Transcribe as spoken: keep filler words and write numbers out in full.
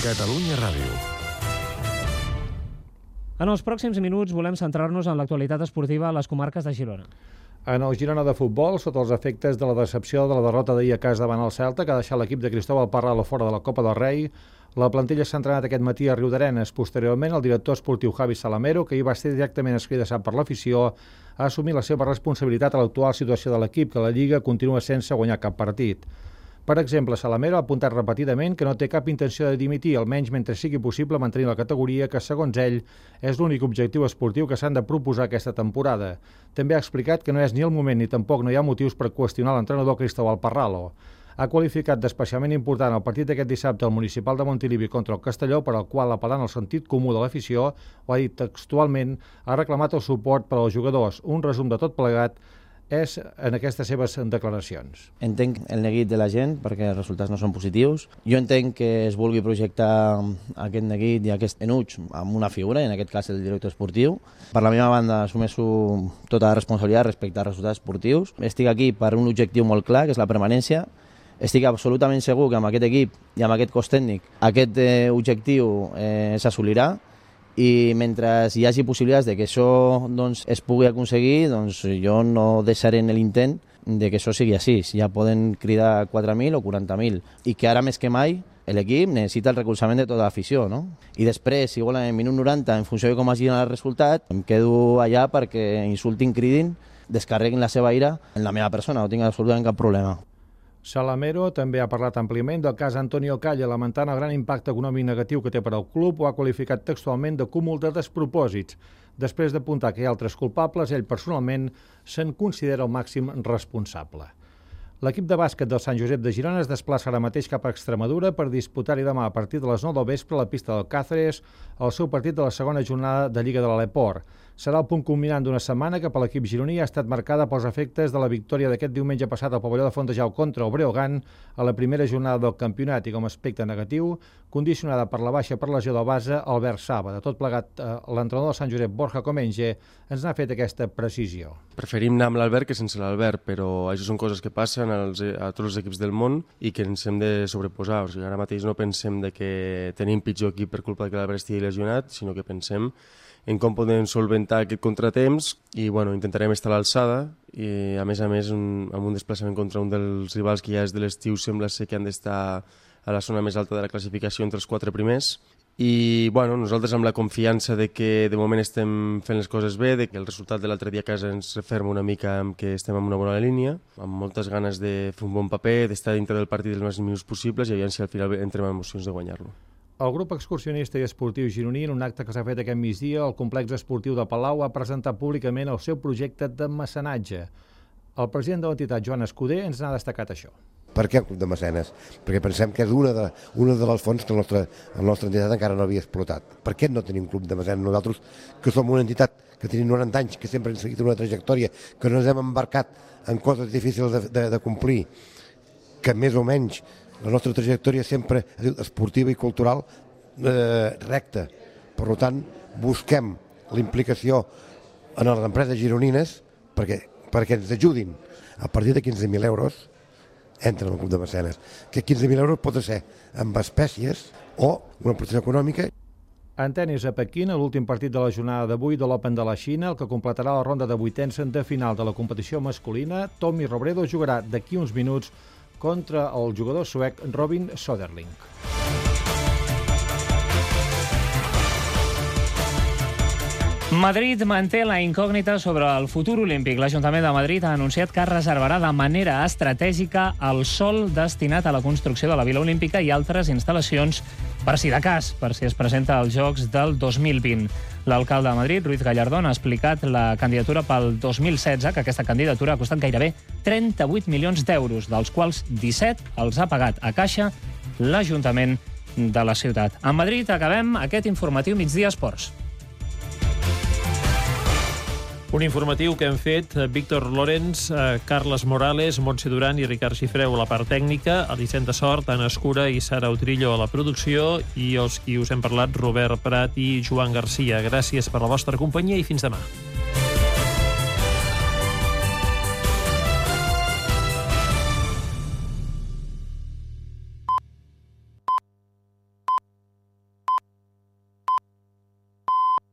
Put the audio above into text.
Catalunya Ràdio. En els pròxims minuts volem centrar-nos en l'actualitat esportiva a les comarques de Girona. En el Girona de futbol, sota els efectes de la decepció de la derrota d'ahir a casa davant el Celta, que ha deixat l'equip de Cristóbal Parralo fora de la Copa del Rei, la plantilla s'ha entrenat aquest matí a Riudarenes. Posteriorment, el director esportiu Javi Salamero, que hi va ser directament escridassat per l'afició, ha assumit la seva responsabilitat a l'actual situació de l'equip, que la Lliga continua sense guanyar cap partit. Per exemple, Salamero ha apuntat repetidament que no té cap intenció de dimitir, almenys mentre sigui possible mantenir la categoria, que, segons ell, és l'únic objectiu esportiu que s'han de proposar aquesta temporada. També ha explicat que no és ni el moment ni tampoc no hi ha motius per qüestionar l'entrenador Cristóbal Parralo. Ha qualificat d'especialment important el partit d'aquest dissabte al Municipal de Montilivi contra el Castelló, per al qual, apel·lant al sentit comú de l'afició, ho ha dit textualment, ha reclamat el suport per als jugadors. Un resum de tot plegat és en aquestes seves declaracions. Entenc el neguit de la gent perquè els resultats no són positius. Jo entenc que es vulgui projectar aquest neguit i aquest enuig amb una figura, en aquest cas el director esportiu. Per la meva banda assumeixo tota la responsabilitat respecte als resultats esportius. Estic aquí per un objectiu molt clar, que és la permanència. Estic absolutament segur que amb aquest equip i amb aquest cos tècnic aquest eh, objectiu eh, s'assolirà. I mentre hi hagi possibilitats de que això doncs, es pugui aconseguir, doncs jo no deixaré en l'intent de que això sigui així. Ja poden cridar quatre mil o quaranta mil. I que ara més que mai l'equip necessita el recolzament de tota l'afició, no? I després, si volen, en minut noranta, en funció de com hagi el resultat, em quedo allà perquè insultin, cridin, descarreguin la seva ira en la meva persona, no tinc absolutament cap problema. Salamero també ha parlat àmpliament del cas Antonio Calle, lamentant el gran impacte econòmic negatiu que té per al club. Ho ha qualificat textualment de cúmul de despropòsits. Després d'apuntar que hi ha altres culpables, ell personalment se'n considera el màxim responsable. L'equip de bàsquet del Sant Josep de Girona es desplaça ara mateix cap a Extremadura per disputar-hi demà a partir de les nou del vespre a la pista del Cáceres el seu partit de la segona jornada de Lliga de l'Aleport. Serà el punt culminant d'una setmana que per l'equip gironí ha estat marcada pels efectes de la victòria d'aquest diumenge passat al pavelló de Fontejau contra el Breogán a la primera jornada del campionat i, com a aspecte negatiu, condicionada per la baixa per lesió del base Albert Saba. De tot plegat, l'entrenador del Sant Josep, Borja Comenge, ens n'ha fet aquesta precisió. Preferim anar amb l'Albert que sense l'Albert, però això són coses que passen als, a tots els equips del món i que ens hem de sobreposar. O sigui, ara mateix no pensem de que tenim pitjor equip per culpa que l'Albert estigui lesionat, sinó que pensem en com podem solventar aquest contratemps i bueno, intentarem estar a l'alçada i a més a més un, amb un desplaçament contra un dels rivals que ja és de l'estiu sembla ser que han d'estar a la zona més alta de la classificació entre els quatre primers i bueno, nosaltres amb la confiança de que de moment estem fent les coses bé, de que el resultat de l'altre dia a casa ens referma una mica amb que estem en una bona línia, amb moltes ganes de fer un bon paper, d'estar dintre del partit els màxims minuts possibles i aviam si al final entrem amb emocions de guanyar-lo. El grup excursionista i esportiu gironí, en un acte que s'ha fet aquest migdia, el complex esportiu de Palau ha presentat públicament el seu projecte de mecenatge. El president de l'entitat, Joan Escudé, ens n'ha destacat això. Per què el club de mecenes? Perquè pensem que és una de, una de les fonts que la nostra, la nostra entitat encara no havia explotat. Per què no tenim club de mecenes? Nosaltres, que som una entitat que tenim noranta anys, que sempre hem seguit una trajectòria, que no ens hem embarcat en coses difícils de, de, de complir, que més o menys la nostra trajectòria sempre esportiva i cultural eh, recta. Per tant, busquem la implicació en les empreses gironines perquè, perquè ens ajudin. A partir de quinze mil euros entren al club de mecenes. Que quinze mil euros pot ser amb espècies o una protecció econòmica. En tenis a Pequín, l'últim partit de la jornada d'avui de l'Open de la Xina, el que completarà la ronda de vuitens de final de la competició masculina, Tommy Robredo jugarà d'aquí uns minuts contra el jugador suec Robin Söderling. Madrid manté la incògnita sobre el futur olímpic. L'Ajuntament de Madrid ha anunciat que reservarà de manera estratègica el sòl destinat a la construcció de la Vila Olímpica i altres instal·lacions per si de cas, per si es presenta als Jocs del dos mil vint. L'alcalde de Madrid, Ruiz Gallardón, ha explicat la candidatura pel dos mil setze, que aquesta candidatura ha costat gairebé trenta-vuit milions d'euros, dels quals disset els ha pagat a caixa l'Ajuntament de la ciutat. A Madrid acabem aquest informatiu Migdia Esports. Un informatiu que hem fet Víctor Lorenz, Carles Morales, Montse Duran i Ricard Xifreu a la part tècnica, Elisenda Sort, Anna Escura i Sara Utrillo a la producció i els qui us hem parlat, Robert Prat i Joan Garcia. Gràcies per la vostra companyia i fins demà.